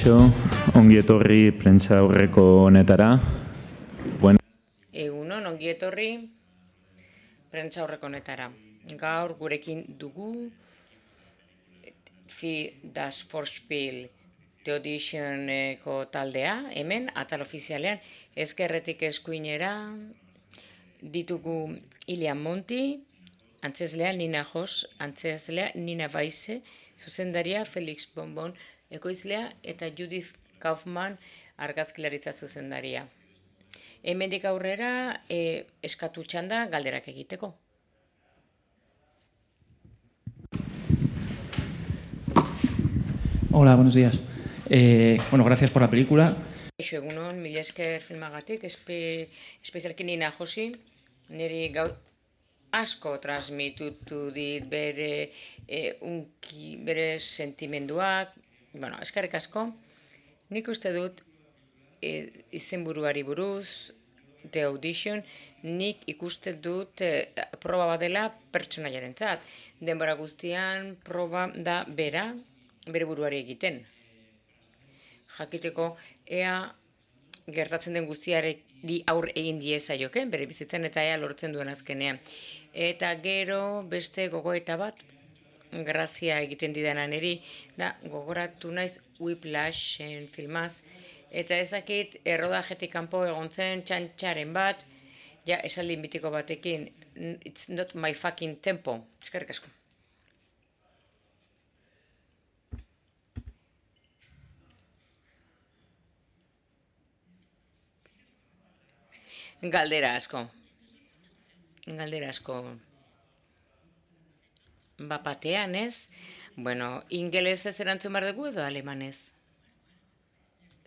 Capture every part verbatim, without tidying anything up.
Kaixo, ongi etorri prentsa aurreko honetara. Bueno. Egunon, ongi etorri prentsa aurreko honetara. Gaur gurekin dugu Fi das Vorspiel The Auditioneko taldea, hemen, atal ofizialean, ezkerretik eskuinera ditugu Ilian Monti, antzeslea Nina Jos, antzeslea Nina Baise, zuzendaria Felix Bonbon, ekoizlea eta Judith Kaufman argazkilaritza zuzendaria. Hemendik aurrera e, eskatu txanda galderak egiteko. Hola, buenos días. Eh, bueno, gracias por la película. Egunon, mila esker filmagatik, espe, espezialki Nina Josi, niri gau asko transmitutu dit bere e, unki, bere sentimenduak, bueno, eskerrik asko. Nik uste dut e, izenburuari buruz, The Audition, nik ikuste dut e, proba badela pertsonaiarentzat. Denbora guztian proba da bera, bere buruari egiten. Jakiteko ea gertatzen den guztiari aur egin diezaioken, bere bizitzen eta ea lortzen duen azkenean. Eta gero beste gogoeta bat, grazia egiten didanan eri, da gogoratu naiz Whiplashen filmaz, eta ezakit errodajetik kanpo egon zen txantxaren bat, ja esaldi mitiko batekin, it's not my fucking tempo, eskerrik asko. Galdera asko. Galdera asko. Bapatean ez? Bueno, ingelesez erantzun behar dugu edo alemanez?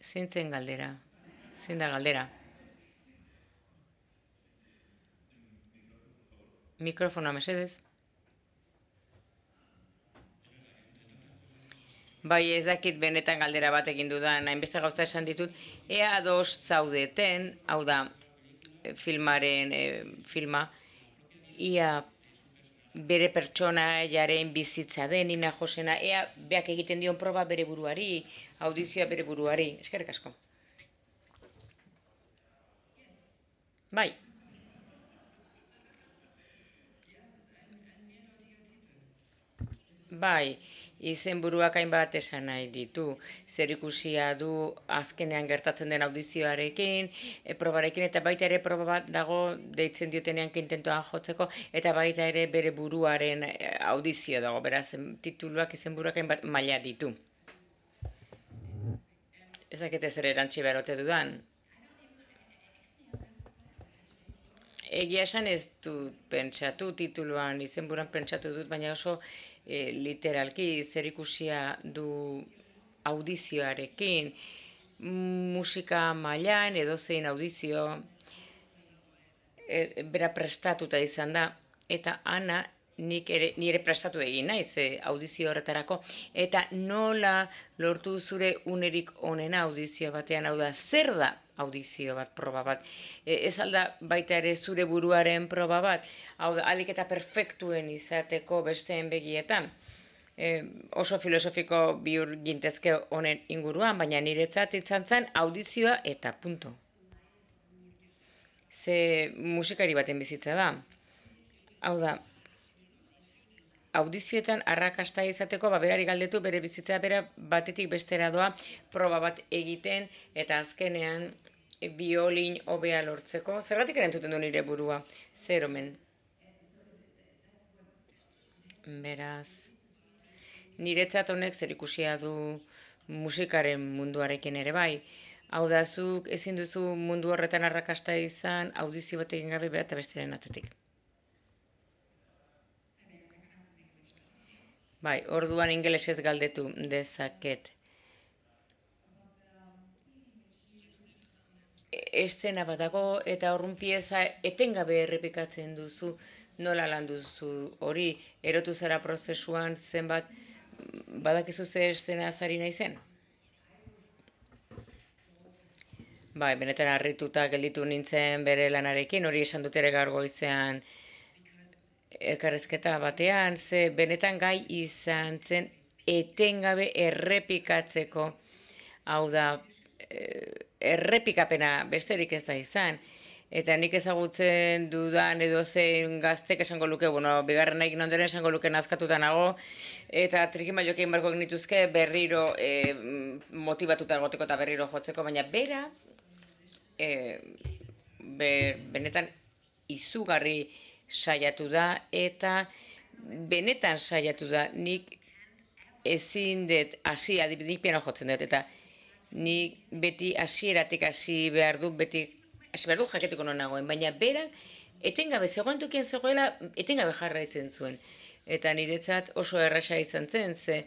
Zintzen galdera. Zein da galdera? Mikrofona mesedez. Bai, ez dakit benetan galdera bat egin dudan, hainbeste gauza esan ditut, ea ados zaudeten, hau da, filmaren e, filma, ia bere pertsonaiaren bizitza den, Nina Josena, ea beak egiten dion proba bere buruari, audizioa bere buruari, eskerrik asko. Bai. Bai, izenburuak hainbat esan nahi ditu. Zerikusia du azkenean gertatzen den audizioarekin, e, probarekin, eta baita ere proba bat dago deitzen diotenean kintentoan jotzeko, eta baita ere bere buruaren audizio dago, beraz, tituluak izenburuak hainbat maila ditu. Ezakete zer erantzi beharote dudan. Egia esan ez dut pentsatu, tituluan izenburuan pentsatu dut, baina oso e, literalki zerikusia du audizioarekin, musika mailan edozein audizio e, bera prestatuta izan da, eta ana nik ere, nire prestatu egin naiz e, audizio horretarako, eta nola lortu zure unerik onena audizio batean, hau da, zer da audizio bat, proba bat. E, ez alda baita ere zure buruaren proba bat, hau da, alik eta perfektuen izateko besteen begietan. E, oso filosofiko bihur gintezke honen inguruan, baina niretzat izan zen audizioa eta punto. Ze musikari baten bizitza da. Hau da, audizioetan arrakasta izateko, ba, berari galdetu bere bizitza bera batetik bestera doa proba bat egiten, eta azkenean biolin hobea lortzeko. Zergatik erantzuten du nire burua? Zer omen. Beraz, niretzat honek zerikusia du musikaren munduarekin ere bai. Hau da, zuk ezin duzu mundu horretan arrakasta izan, audizio bat egin gabe bera eta besteren atzetik. Bai, orduan ingelesez galdetu dezaket. Eszena bat dago eta horrun pieza etengabe errepikatzen duzu, nola lan duzu hori, erotu zara prozesuan zenbat, badakizu ze eszena azari naizen? Bai, benetan harrituta gelditu nintzen bere lanarekin, hori esan dut ere gaur goizean elkarrizketa batean, ze benetan gai izan zen etengabe errepikatzeko hau da, errepikapena besterik ez da izan. Eta nik ezagutzen dudan edo zein gaztek esango luke, bueno, bigarren nahi ondoren esango luke nazkatuta nago, eta trikimailoak egin barko genituzke berriro e, motibatuta egoteko eta berriro jotzeko, baina bera, e, ber, benetan izugarri saiatu da, eta benetan saiatu da, nik ezin dut hasi, adibidez piano jotzen dut, eta nik beti hasieratik hasi behar du, beti hasi behar du jaketiko non nagoen, baina berak etengabe zegoen tokian zegoela, etengabe jarraitzen zuen. Eta niretzat oso erraza izan zen, ze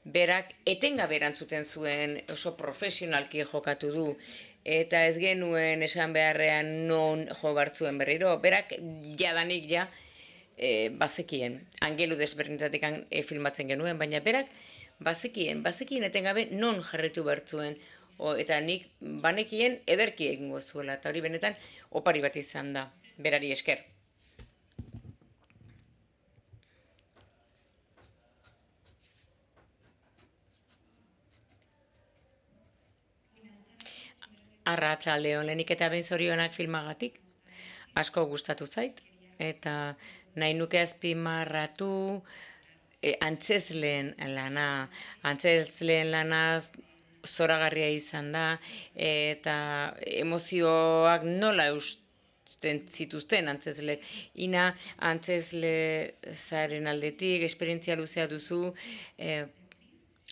berak etengabe erantzuten zuen, oso profesionalki jokatu du, eta ez genuen esan beharrean non jo bartzuen berriro, berak jadanik ja e, bazekien, angelu desberdinetatik e, filmatzen genuen, baina berak bazekien, bazekien etengabe non jarretu bartzuen, O, eta nik banekien ederki egingo zuela, eta hori benetan opari bat izan da, berari esker. Arratsalde on, lehenik eta behin zorionak filmagatik, asko gustatu zait, eta nahi nuke azpimarratu e, antzezleen lana, antzezleen lanaz, zoragarria izan da, eta emozioak nola eusten zituzten antzezleek. Ina antzezle zaren aldetik, esperientzia luzea duzu, eh,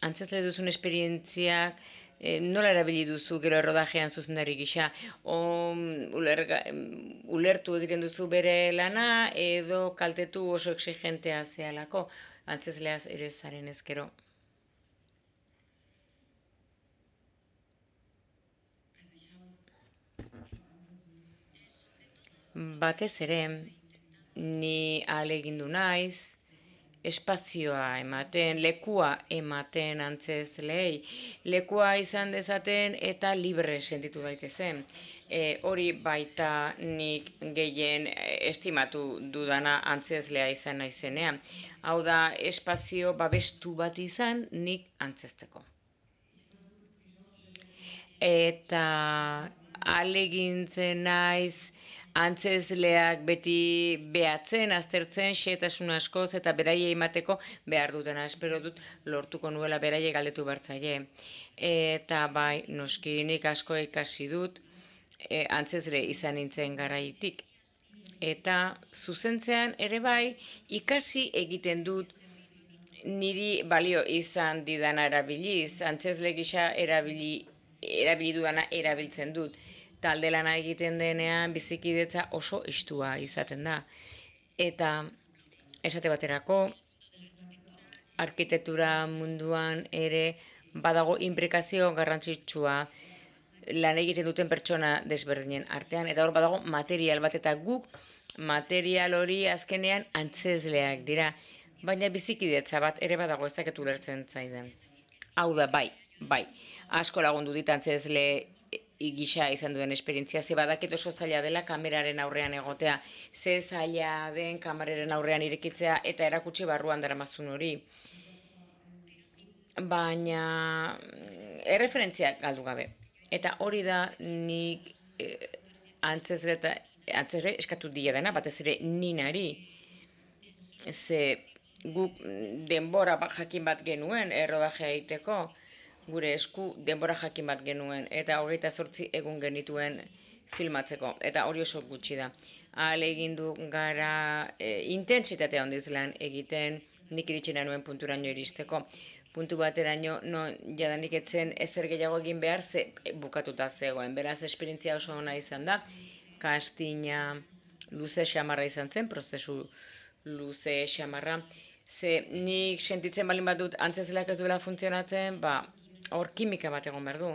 antzezle duzun esperientziak eh, nola erabili duzu gero errodajean zuzendari gisa, o, ulerga, ulertu egiten duzu bere lana, edo kaltetu oso exigentea zehalako, antzezleaz ere zaren ezkero. Batez ere, ni ahalegindu naiz, espazioa ematen, lekua ematen antzezleei, lekua izan dezaten eta libre sentitu daitezen. E, hori baita nik gehien estimatu dudana antzezlea izan naizenean. Hau da, espazio babestu bat izan nik antzezteko. Eta ahalegintzen naiz, antzezleak beti behatzen, aztertzen, xehetasun askoz eta beraiei emateko behar dutena. Espero dut lortuko nuela beraiei galdetu bertzaile. Eta bai, noski nik asko ikasi dut, e, antzezle izan nintzen garaitik. Eta zuzentzean ere bai, ikasi egiten dut niri balio izan didana erabiliz, antzezle gisa erabili, erabili dudana erabiltzen dut. Talde lana egiten denean bizikidetza oso estua izaten da. Eta esate baterako, arkitektura munduan ere badago inplikazio garrantzitsua lan egiten duten pertsona desberdinen artean, eta hor badago material bat, eta guk material hori azkenean antzezleak dira, baina bizikidetza bat ere badago, ez dakit ulertzen zaidan. Hau da, bai, bai, asko lagundu dit antzezle gisa izan duen esperientzia, ze badakit oso zaila dela kameraren aurrean egotea, ze zaila den kameraren aurrean irekitzea eta erakutsi barruan daramazun hori. Baina erreferentziak galdu gabe. Eta hori da nik eh, antzezle, antzezle eskatu dira dena, batez ere ninari, ze guk denbora jakin bat genuen errodajea egiteko, gure esku denbora jakin bat genuen, eta hogeita zortzi egun genituen filmatzeko, eta hori oso gutxi da. Ahalegindu gara e, intentsitatea handiz lan egiten, nik iritsi nuen punturaino iristeko. Puntu bateraino, no, jadanik etzen ezer gehiago egin behar, ze bukatuta zegoen. Beraz, esperientzia oso ona izan da, kastina luze xamarra izan zen, prozesu luze xamarra. Ze nik sentitzen balin bat dut antzezleak ez duela funtzionatzen, ba, hor kimika bat egon behar du,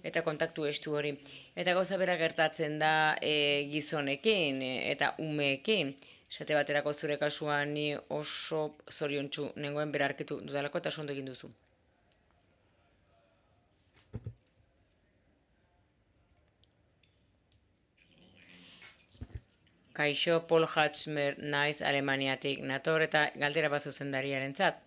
eta kontaktu estu hori. Eta gauza bera gertatzen da e, gizonekin e, eta umeekin. Esate baterako zure kasuan ni oso zoriontsu nengoen bera arkitu dudalako eta ondo egin duzu. Kaixo, Paul Hatschmer naiz Alemaniatik nator eta galdera bat zuzendariarentzat.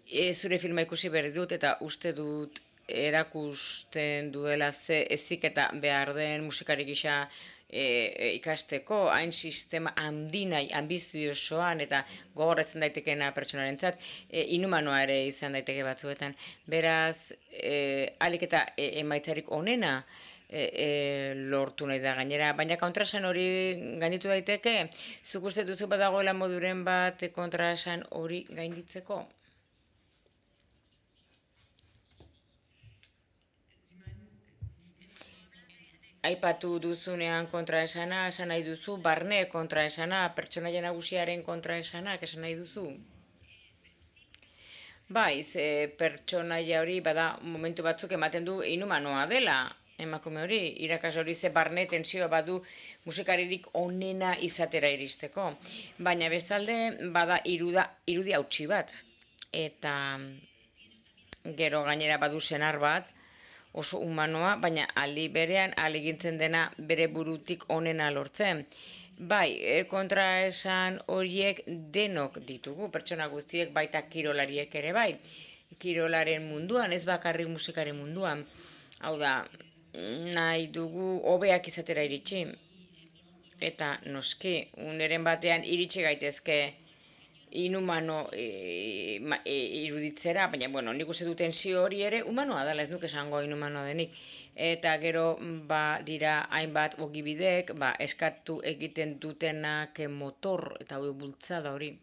E, zure filma ikusi berri dut eta uste dut erakusten duela ze heziketa behar den musikari gisa ikasteko, hain sistema handinai, ambiziosoan eta gogorretzen daitekeena pertsonarentzat, inhumanoa ere izan daiteke batzuetan. Beraz, ahalik eta emaitzarik onena lortu nahi da gainera, baina kontraesan hori gainditu daiteke, zuk uste duzu badagoela moduren bat kontraesan hori gainditzeko? Aipatu duzunean kontraesana, esan nahi duzu, barne kontraesana, pertsonaia nagusiaren kontraesanak esan nahi duzu? Bai, ze pertsonaia hori bada momentu batzuk ematen du inhumanoa dela, emakume hori, irakas hori ze barne tensioa badu musikaririk onena izatera iristeko. Baina bezalde bada iruda, irudi hautsi bat, eta gero gainera badu senar bat, oso humanoa, baina aldi berean ahalegintzen dena bere burutik onena lortzen. Bai, kontraesan horiek denok ditugu, pertsona guztiek baita kirolariek ere bai. Kirolaren munduan, ez bakarrik musikaren munduan. Hau da, nahi dugu hobeak izatera iritsi. Eta noski, uneren batean iritsi gaitezke inhumano e, e, iruditzera, baina, bueno, nik uste duten zio hori ere humanoa dela, ez nuke esango inhumanoa denik. Eta gero, ba, dira hainbat ogibidek, ba, eskatu egiten dutenak motor eta bultzada hori.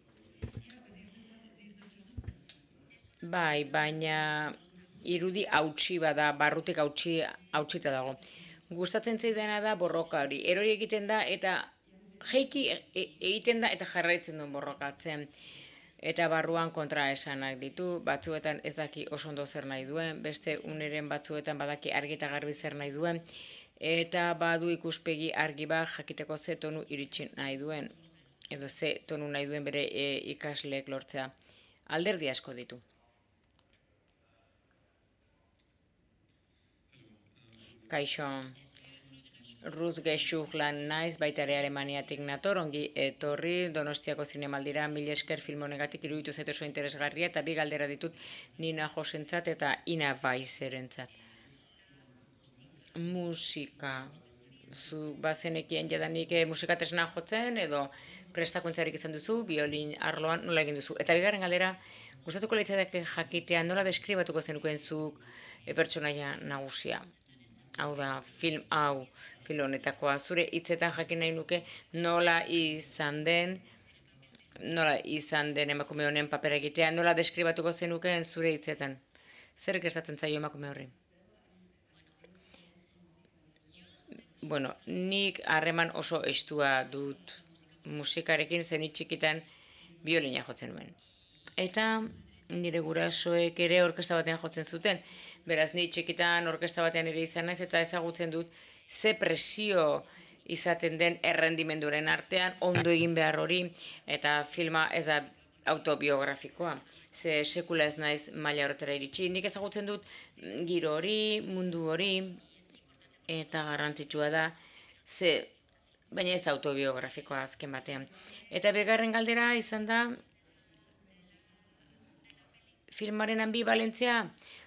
Bai, baina irudi hautsi bada, barrutik hautsi hautsita dago. Gustatzen zaidana da borroka hori. Erori egiten da eta jeiki egiten da eta jarraitzen duen borrokatzen. Eta barruan kontraesanak ditu, batzuetan ez daki oso ondo zer nahi duen, beste uneren batzuetan badaki argi eta garbi zer nahi duen, eta badu ikuspegi argi bat jakiteko ze tonu iritsi nahi duen, edo ze tonu nahi duen bere e, ikasleek lortzea. Alderdi asko ditu. Kaixo, Ruz Gexuglan naiz, baita ere Alemaniatik nator, ongi etorri, Donostiako zinemaldira, mil esker film honegatik iruditu zait oso interesgarria, eta bi galdera ditut Nina Josentzat eta Ina Weiserentzat. Musika, zu bazenekien jadanik musika tresna jotzen, edo prestakuntzarik izan duzu, biolin arloan nola egin duzu. Eta bigarren galdera, gustatuko litzateke jakitea nola deskribatuko zenukeen zuk pertsonaia nagusia. Hau da, film hau, film honetakoa, zure hitzetan jakin nahi nuke nola izan den, nola izan den emakume honen papera egitea, nola deskribatuko zenukeen zure hitzetan. Zer gertatzen zaio emakume horri? Bueno, nik harreman oso estua dut musikarekin, zen txikitan biolina jotzen nuen. Eta nire gurasoek ere orkestra batean jotzen zuten. Beraz, ni txikitan orkestra batean ere izan naiz eta ezagutzen dut ze presio izaten den errendimenduren artean, ondo egin behar hori, eta filma ez da autobiografikoa. Ze sekula ez naiz maila horretara iritsi. Nik ezagutzen dut giro hori, mundu hori, eta garrantzitsua da, ze, baina ez autobiografikoa azken batean. Eta bigarren galdera izan da, filmaren ambivalentzia,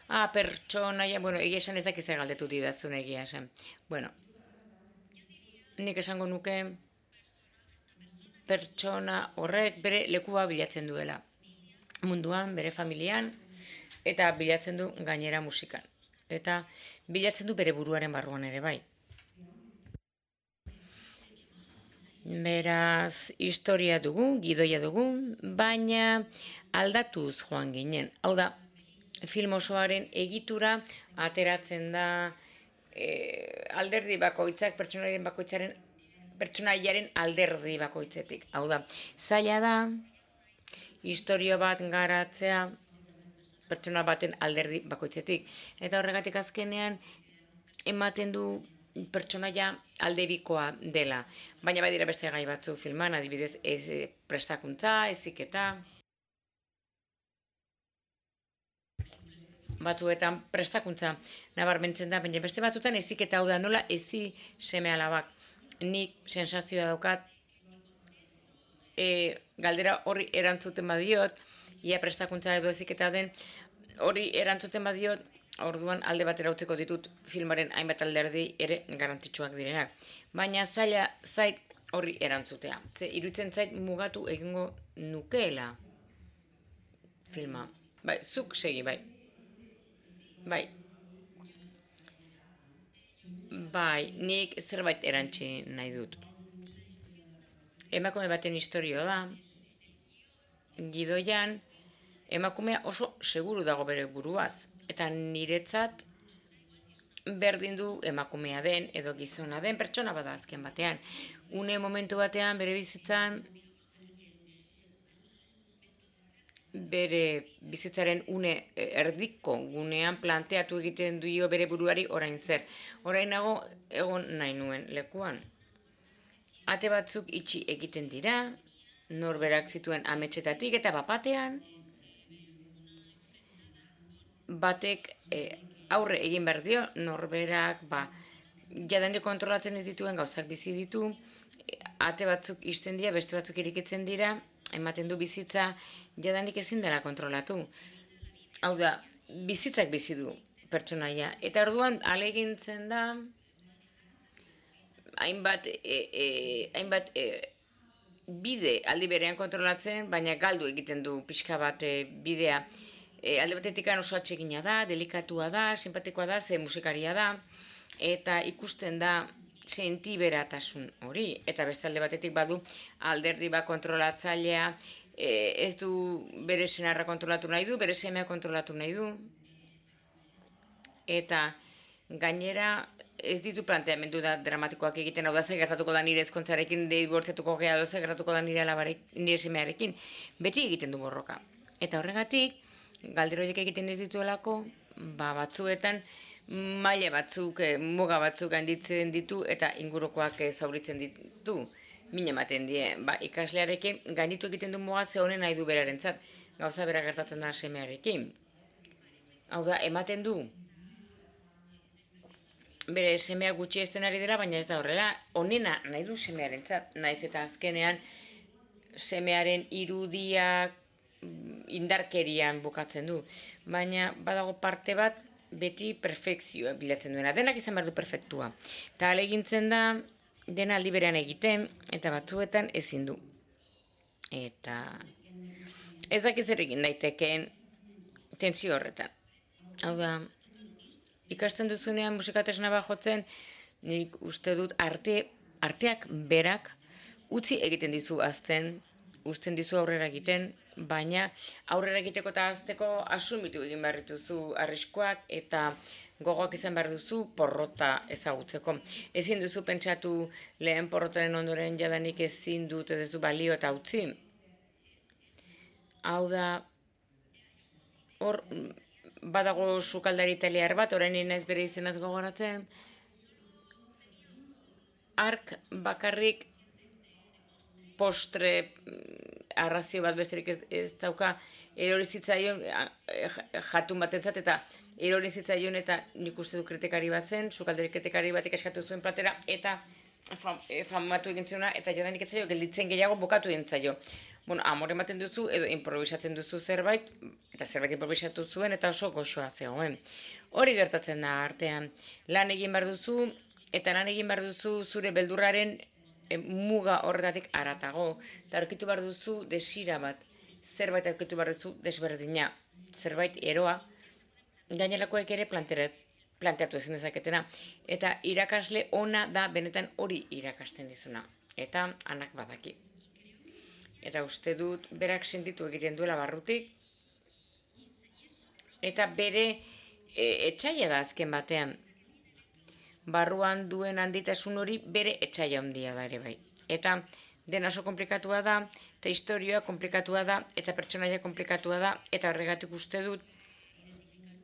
ah, pertsonaia, bueno, egia esan ezak izan galdetu didazun egia esan. Bueno, nik esango nuke pertsona horrek bere lekua bilatzen duela. Munduan, bere familian, eta bilatzen du gainera musikan. Eta bilatzen du bere buruaren barruan ere bai. Beraz, historia dugu, gidoia dugu, baina aldatuz joan ginen. Hau da, film osoaren egitura ateratzen da e, alderdi bakoitzak, pertsonaiaren bakoitzaren, pertsonaiaren alderdi bakoitzetik. Hau da, zaila da, historia bat garatzea pertsona baten alderdi bakoitzetik. Eta horregatik azkenean ematen du pertsonaia aldebikoa dela. Baina badira beste gai batzu filman, adibidez ez prestakuntza, heziketa. Batzuetan prestakuntza nabarmentzen da, baina beste batzuetan heziketa, hau da nola hezi seme alabak. Nik sensazioa daukat, e, galdera horri erantzuten badiot, ia prestakuntza edo heziketa den, hori erantzuten badiot, orduan alde batera utziko ditut filmaren hainbat alderdi ere garrantzitsuak direnak. Baina zaila zait horri erantzutea. Ze iruditzen zait mugatu egingo nukeela filma. Bai, zuk segi, bai. Bai. Bai, nik zerbait erantzi nahi dut. Emakume baten historioa da, gidoian, emakumea oso seguru dago bere buruaz, eta niretzat berdin du emakumea den edo gizona den pertsona bada azken batean. Une momentu batean bere bizitzan, bere bizitzaren une erdiko gunean planteatu egiten dio bere buruari orain zer. Orain nago egon nahi nuen lekuan. Ate batzuk itxi egiten dira, norberak zituen ametsetatik eta bapatean, batek e, aurre egin behar dio, norberak ba, jadanik kontrolatzen ez dituen gauzak bizi ditu, ate batzuk ixten dira, beste batzuk irikitzen dira, ematen du bizitza jadanik ezin dela kontrolatu. Hau da, bizitzak bizi du pertsonaia. Eta orduan alegintzen da, hainbat, e, e, hainbat e, bide aldi berean kontrolatzen, baina galdu egiten du pixka bat e, bidea. E, alde batetik oso atsegina da, delikatua da, simpatikoa da, ze musikaria da, eta ikusten da sentiberatasun hori. Eta beste alde batetik badu alderdi bat kontrolatzailea, e, ez du bere senarra kontrolatu nahi du, bere semea kontrolatu nahi du. Eta gainera ez ditu planteamendu da dramatikoak egiten, hau da zer gertatuko da nire ezkontzarekin, dibortzatuko gea, zer gertatuko da nire alabarek, nire semearekin, beti egiten du borroka. Eta horregatik, galderoiek egiten ez dituelako, ba, batzuetan maila batzuk, eh, muga batzuk handitzen ditu eta ingurukoak eh, zauritzen ditu. Min ematen die, ba, ikaslearekin gainditu egiten du muga ze honen nahi du berarentzat, gauza bera gertatzen da semearekin. Hau da, ematen du, bere semea gutxi ezten ari dela, baina ez da horrela, onena nahi du semearentzat, naiz eta azkenean semearen irudiak indarkerian bukatzen du. Baina badago parte bat beti perfekzioa bilatzen duena, denak izan behar du perfektua. Eta alegintzen da, dena aldi berean egiten, eta batzuetan ezin du. Eta ez dakiz ere egin daitekeen tensio horretan. Hau da, ikasten duzunean musikatesna bat jotzen, nik uste dut arte, arteak berak utzi egiten dizu azten, uzten dizu aurrera egiten, baina aurrera egiteko eta azteko asumitu egin behar dituzu arriskoak eta gogoak izan behar duzu porrota ezagutzeko. Ezin duzu pentsatu lehen porrotaren ondoren jadanik ezin dut ez duzu balio eta utzi. Hau da, hor badago sukaldari italiar bat, orain naiz bere izenaz gogoratzen, ark bakarrik postre arrazio bat besterik ez, ez dauka erori zitzaion jatun batentzat eta erori zitzaion eta nik uste du kritikari bat zen, sukaldari kritikari batek eskatu zuen platera eta fam, famatu egin zuena eta jadanik etzaio gelditzen gehiago bukatu egin zaio. Bueno, amore ematen duzu edo improvisatzen duzu zerbait eta zerbait improvisatu zuen eta oso goxoa zegoen. Hori gertatzen da artean. Lan egin behar duzu eta lan egin behar duzu zure beldurraren E, muga horretatik aratago, eta aurkitu behar duzu desira bat, zerbait aurkitu behar duzu desberdina, zerbait eroa, gainerakoek ere planteatu ezin dezaketena, eta irakasle ona da benetan hori irakasten dizuna, eta anak badaki. Eta uste dut berak sentitu egiten duela barrutik, eta bere e, etxaila da azken batean, barruan duen handitasun hori bere etxaila handia da ere bai. Eta dena oso komplikatua da, eta historioa komplikatua da, eta pertsonaia komplikatua da, eta horregatik uste dut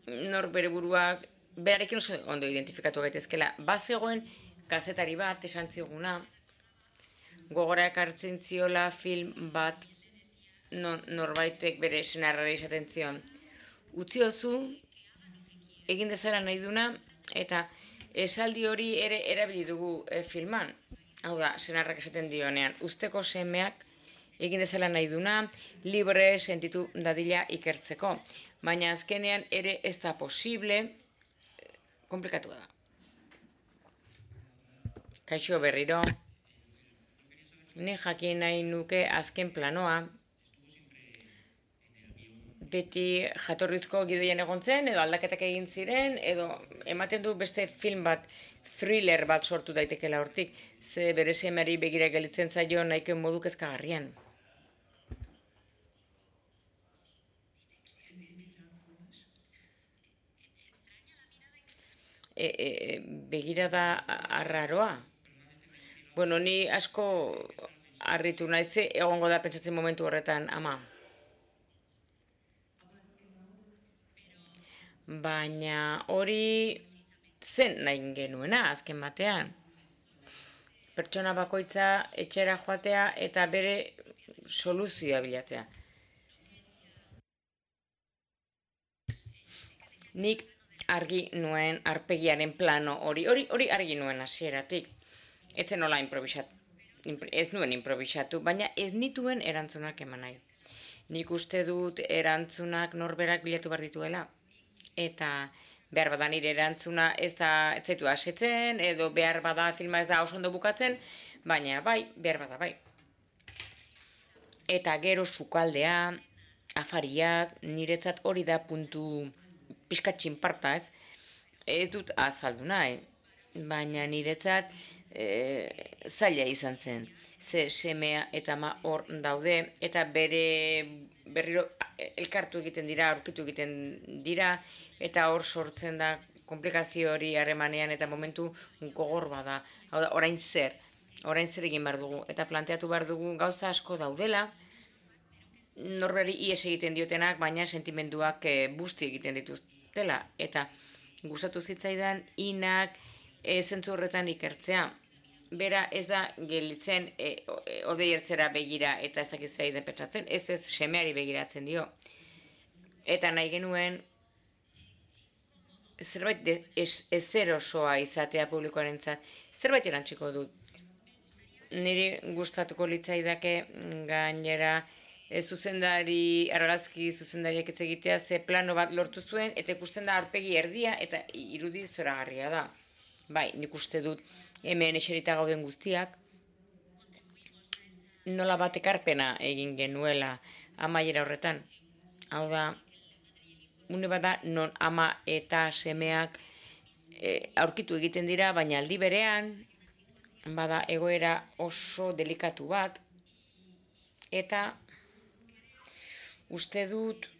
nor bere buruak berarekin oso ondo identifikatu gaitezkela. Bazegoen kazetari bat esan ziguna, gogora ekartzen ziola film bat non, norbaitek bere senarrari esaten zion. Utziozu, egin dezala nahi duna, eta esaldi hori ere erabili dugu e, filman. Hau da, senarrak esaten dionean, usteko semeak egin dezala nahi duna, libre sentitu dadila ikertzeko. Baina azkenean ere ez da posible, komplikatu da. Kaixo berriro, ni jakin nahi nuke azken planoa, beti jatorrizko gidoian egon zen, edo aldaketak egin ziren, edo ematen du beste film bat, thriller bat sortu daitekela hortik, ze bere semeari begira gelitzen zaio nahiko modu kezkagarrian. E, e, begirada arraroa. Bueno, ni asko harritu naiz, egongo da pentsatzen momentu horretan, ama. Baina hori zen nahi genuena azken batean. Pertsona bakoitza etxera joatea eta bere soluzioa bilatzea. Nik argi nuen arpegiaren plano hori, hori, hori argi nuen hasieratik. Ez zen nola improvisatu, ez nuen improvisatu, baina ez nituen erantzunak eman nahi. Nik uste dut erantzunak norberak bilatu behar dituela. Eta behar bada nire erantzuna ez da ez zaitu asetzen, edo behar bada filma ez da oso ondo bukatzen, baina bai, behar bada bai. Eta gero sukaldea, afariak, niretzat hori da puntu pixka txinparta, ez? Ez dut azaldu nahi, baina niretzat e, zaila izan zen. Ze semea eta ama hor daude, eta bere berriro elkartu egiten dira, aurkitu egiten dira, eta hor sortzen da komplikazio hori harremanean eta momentu gogor bada. Hau da, orain zer, orain zer egin behar dugu, eta planteatu behar dugu gauza asko daudela, norberi ies egiten diotenak, baina sentimenduak e, busti egiten dituztela, eta gustatu zitzaidan inak e, zentzu horretan ikertzea. Bera ez da gelitzen e, odei ertzera begira eta ezakitzea den pentsatzen, ez ez semeari begiratzen dio. Eta nahi genuen zerbait de, ez, ezer osoa izatea publikoarentzat, zerbait erantziko dut. Niri gustatuko litzaidake gainera e, zuzendari, argazki zuzendariak ez egitea, ze plano bat lortu zuen, eta ikusten da aurpegi erdia eta irudi zoragarria da. Bai, nik uste dut hemen eserita gauden guztiak, nola bat ekarpena egin genuela amaiera horretan. Hau da, une bada non ama eta semeak e, aurkitu egiten dira, baina aldi berean, bada egoera oso delikatu bat, eta uste dut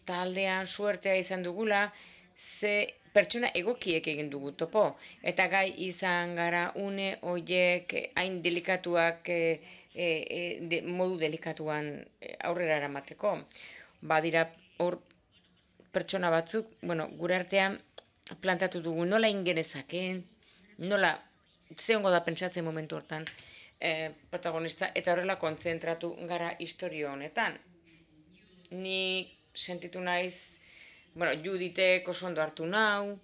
taldean suertea izan dugula, ze pertsona egokiek egin dugu topo, eta gai izan gara une horiek hain delikatuak, e, e, de, modu delikatuan aurrera eramateko. Badira hor pertsona batzuk, bueno, gure artean plantatu dugu nola ingenezakeen, nola zehongo da pentsatzen momentu hortan e, protagonista, eta horrela kontzentratu gara historio honetan. Ni sentitu naiz, bueno, Juditek oso ondo hartu nau,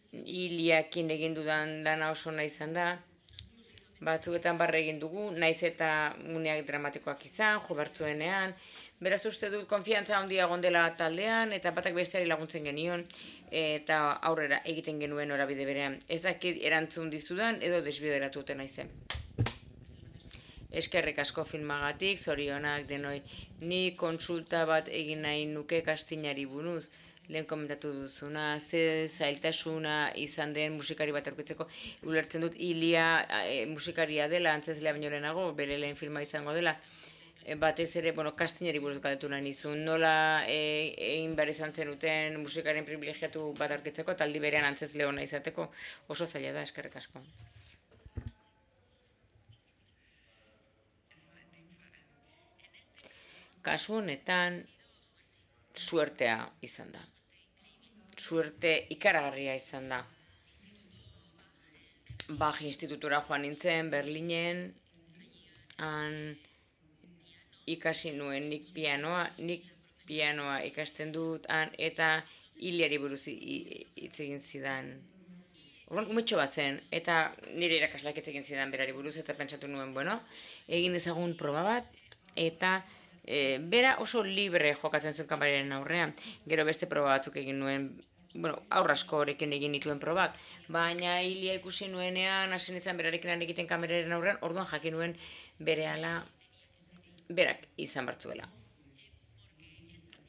Iliakin egin dudan lana oso nahi izan da, batzuetan barre egin dugu, naiz eta uneak dramatikoak izan, jo bertzuenean, beraz uste dut konfiantza handia gondela taldean, eta batak besteari laguntzen genion, eta aurrera egiten genuen norabide berean. Ez dakit erantzun dizudan, edo desbideratu duten naizen. Eskerrik asko filmagatik, zorionak denoi, ni kontsulta bat egin nahi nuke kastinari buruz, lehen komentatu duzuna, ze zailtasuna izan den musikari bat aurkitzeko, ulertzen dut Ilia e, musikaria dela, antzezlea baino lehenago, bere lehen filma izango dela, e, batez ere, bueno, kastinari buruz galdetu nahi nizun, nola e, egin behar izan zenuten musikaren privilegiatu bat aurkitzeko, eta aldi berean antzezle hona izateko, oso zaila da, eskerrik asko. Kasu honetan, suertea izan da. Suerte ikaragarria izan da. Bach institutura joan nintzen, Berlinen, han ikasi nuen nik pianoa, nik pianoa ikasten dut, han, eta Iliari buruz hitz egin zidan. Orduan, umetxo bat zen, eta nire irakaslak hitz egin zidan berari buruz, eta pentsatu nuen, bueno, egin ezagun proba bat, eta bera oso libre jokatzen zuen kameraren aurrean. Gero beste proba batzuk egin nuen, bueno, aurra asko horrekin egin nituen probak, baina Ilia ikusi nuenean, hasi nintzen berarekin lan egiten kameraren aurrean, orduan jakin nuen berehala berak izan bartzuela.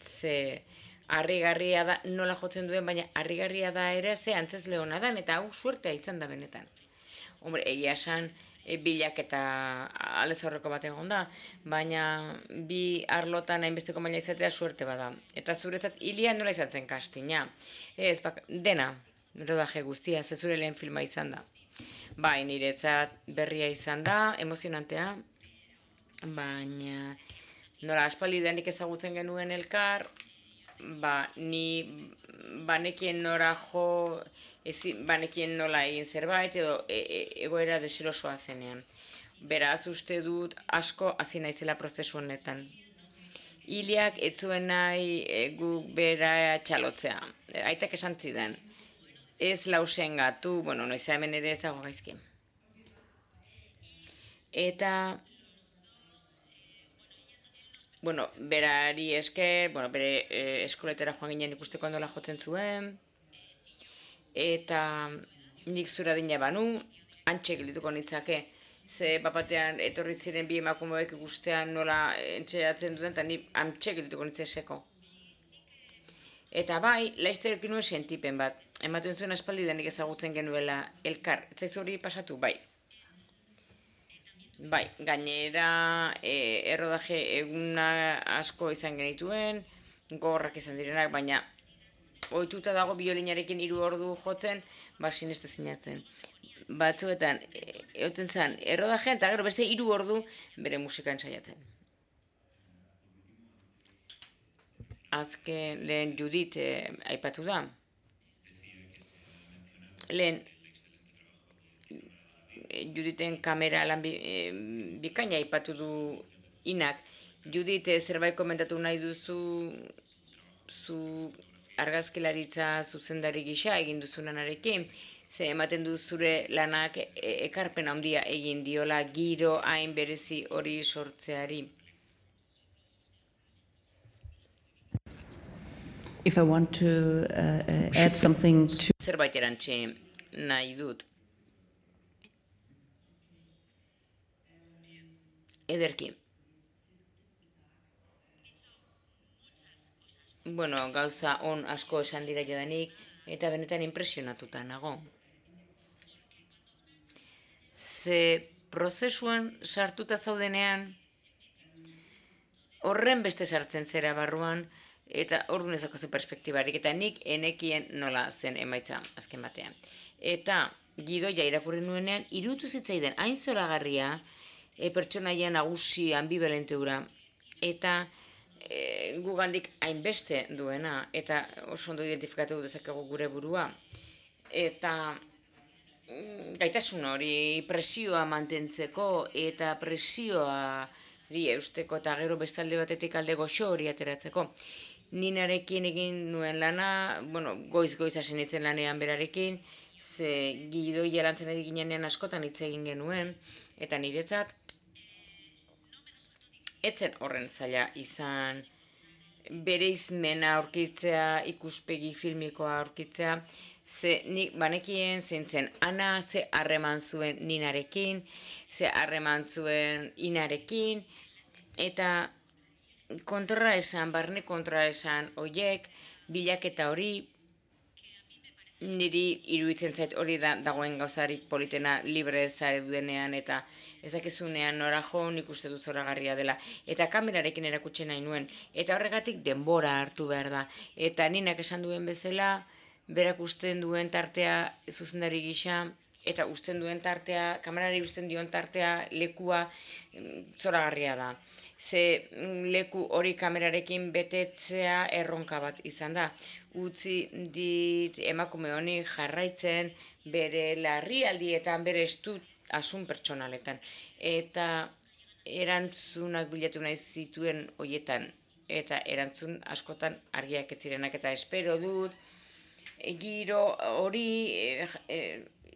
Ze harrigarria da nola jotzen duen, baina harrigarria da ere ze antzezle hona dan, eta hau suertea izan da benetan. Hombre, egia esan, e, bilak eta aldez aurreko bat egon da, baina bi arlotan hainbesteko maila izatea suerte bada. Eta zuretzat Ilia nola izan zen kastina? Ez, bak, dena, rodaje guztia, ze zure lehen filma izan da. Bai, niretzat berria izan da, emozionantea, baina nola aspaldidanik ezagutzen genuen elkar, ba, ni banekien nora jo, ezi, banekien nola egin zerbait, edo e, e, egoera deserosoa zenean. Beraz, uste dut asko hasi naizela prozesu honetan. Iliak ez zuen nahi e, guk bera txalotzea. Aitak esan zidan. Ez lausen gatu, bueno, noiz hemen ere ezago gaizki. Eta bueno, berari esker, bueno, bere eh, eskoletara joan ginen ikusteko ondola jotzen zuen, eta nik zura dina banu, antxe geldituko nitzake, ze bapatean etorri ziren bi emakumeek ikustean nola entxeratzen duten, eta ni antxe geldituko nitzeseko. Eta bai, laizterekin nuen sentipen bat, ematen zuen aspaldidanik ezagutzen genuela elkar, ez zaizu hori pasatu, bai. Bai, gainera e, errodaje eguna asko izan genituen, gogorrak izan direnak, baina ohituta dago biolinarekin hiru ordu jotzen, ba sineste zinatzen. Batzuetan, e, egoten zen errodajean, eta gero beste hiru ordu bere musika ensaiatzen. Azken lehen Judith e, aipatu da. Lehen, Juditen kamera lan bi, e, bikaina aipatu du Inak. Judit e, zerbait komentatu nahi duzu zu argazkilaritza zuzendari gisa egin duzunanarekin, ze ematen du zure lanak e, ekarpen handia egin diola giro hain berezi hori sortzeari. If I want to uh, uh, add something to... Zerbait erantzi nahi dut. Ederki. Bueno, gauza on asko esan dira jadanik, eta benetan impresionatuta nago. Ze prozesuan sartuta zaudenean, horren beste sartzen zera barruan, eta orduan ez dakozu perspektibarik, eta nik enekien nola zen emaitza azken batean. Eta gidoia irakurri nuenean, irutu zitzaidan hain zoragarria, e, pertsonaia nagusi ambivalente hura, eta e, gugandik hainbeste duena, eta oso ondo identifikatu dezakegu gure burua. Eta mm, gaitasun hori presioa mantentzeko, eta presioari eusteko, eta gero bestalde batetik alde goxo hori ateratzeko. Ninarekin egin nuen lana, bueno, goiz-goiz hasi nintzen lanean berarekin, ze gidoia lantzen ari ginean askotan hitz egin genuen, eta niretzat, etzen horren zaila izan bereizmena aurkitzea, ikuspegi filmikoa aurkitzea, ze nik banekien zintzen Ana ze harreman zuen Ninarekin, ze harreman zuen Inarekin, eta kontra esan, barne kontra esan oiek, bilaketa hori, niri iruditzen zait hori da, dagoen gauzarik politena libre zaredudenean eta ezakizunean nora jo nik uste dut zoragarria dela. Eta kamerarekin erakutsi nahi nuen. Eta horregatik denbora hartu behar da. Eta Ninak esan duen bezala, berak usten duen tartea zuzendari gisa, eta usten duen tartea, kamerari usten dion tartea, lekua zoragarria da. Ze leku hori kamerarekin betetzea erronka bat izan da. Utzi dit emakume honi jarraitzen bere larrialdietan, bere estu asun pertsonaletan. Eta erantzunak bilatu nahi zituen hoietan. Eta erantzun askotan argiak ez zirenak, eta espero dut giro hori e, e,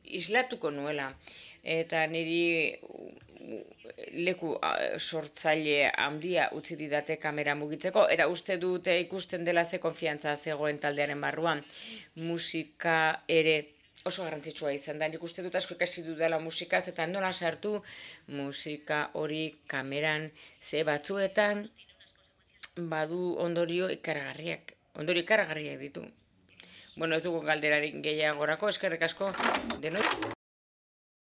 islatuko nuela. Eta niri leku sortzaile handia utzi didate kamera mugitzeko, eta uste dute ikusten dela ze konfiantza zegoen taldearen barruan. Musika ere oso garrantzitsua izan da. Nik uste dut asko ikasi dudala musikaz, eta nola sartu musika hori kameran, ze batzuetan badu ondorio ikaragarriak. Ondorio ikaragarriak ditu. Bueno, ez dugu galderarik gehiagorako, eskerrik asko denoi.